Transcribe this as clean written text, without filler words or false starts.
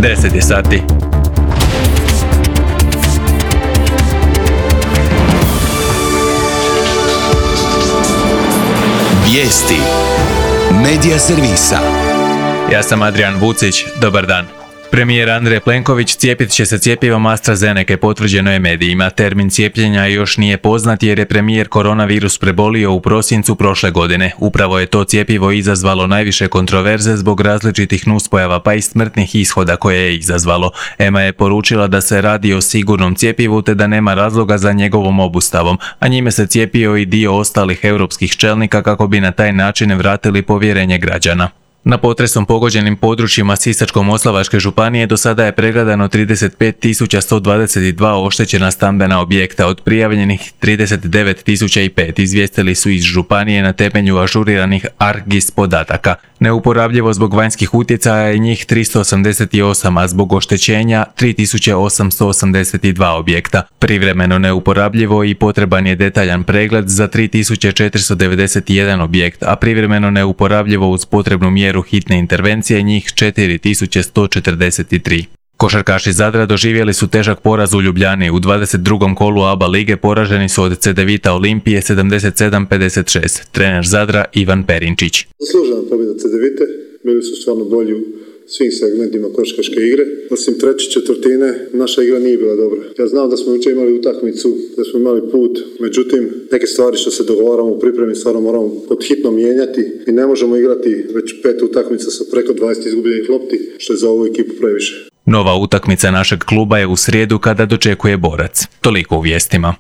10 je sati. Vijesti Medija servisa. Ja sam Adrian Vucić, dobar dan. Premijer Andrej Plenković cijepit će se cjepivom AstraZeneca, potvrđeno je medijima. Termin cijepljenja još nije poznat jer je premijer koronavirus prebolio u prosincu prošle godine. Upravo je to cjepivo izazvalo najviše kontroverze zbog različitih nuspojava pa i smrtnih ishoda koje je izazvalo. EMA je poručila da se radi o sigurnom cjepivu te da nema razloga za njegovom obustavom, a njime se cijepio i dio ostalih europskih čelnika kako bi na taj način vratili povjerenje građana. Na potresom pogođenim područjima Sisačko-moslavačke županije do sada je pregledano 35.122 oštećena stambena objekta, od prijavljenih 39.005, izvijestili su iz županije na temelju ažuriranih ARGIS podataka. Neuporabljivo zbog vanjskih utjecaja je njih 388, a zbog oštećenja 3.882 objekta. Privremeno neuporabljivo i potreban je detaljan pregled za 3.491 objekt, a privremeno neuporabljivo uz potrebnu mjeru hitne intervencije njih 4.143. Košarkaši Zadra doživjeli su težak poraz u Ljubljani. U 22. kolu ABA lige poraženi su od Cedevita Olimpije 77-56. Trener Zadra Ivan Perinčić. Zaslužena pobjeda Cedevite, bili su stvarno bolji u svim segmentima košarkaške igre. Osim treće četvrtine, naša igra nije bila dobra. Ja znam da smo jučer imali utakmicu, da smo imali put, međutim, neke stvari što se dogovaramo u pripremi stvarno moramo pod hitno mijenjati i ne možemo igrati već 5 utakmica sa preko 20 izgubljenih lopti, što je za ovu ekipu previše. Nova utakmica našeg kluba je u srijedu kada dočekuje Borac. Toliko u vijestima.